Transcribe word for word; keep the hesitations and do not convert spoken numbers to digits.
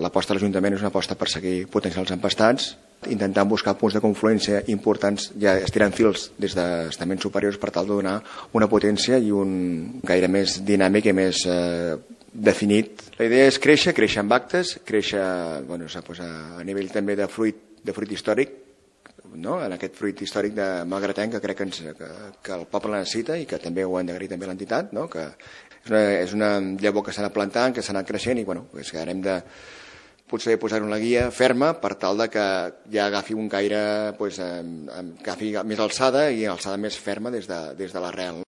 L'aposta de l'Ajuntament és una aposta per seguir potenciant els empastats, intentant buscar punts de confluència importants, ja estirant fils des d'estaments superiors per tal de donar una potència i un gaire més dinàmic i més eh, definit. La idea és créixer, créixer amb actes, créixer bueno, a nivell també de fruit, de fruit històric, no? En aquest fruit històric de malgratenc que crec que, ens, que, que el poble necessita i que també ho hem d'agrair també a l'entitat, no? Que és una, és una llavor que s'ha anat plantant, que s'ha anat creixent i bueno, és que hem de potser posar-ho en la guia ferma per tal de que ja agafi un gaire, pues, eh, agafi més alçada i alçada més ferma des de, des de l'arrel.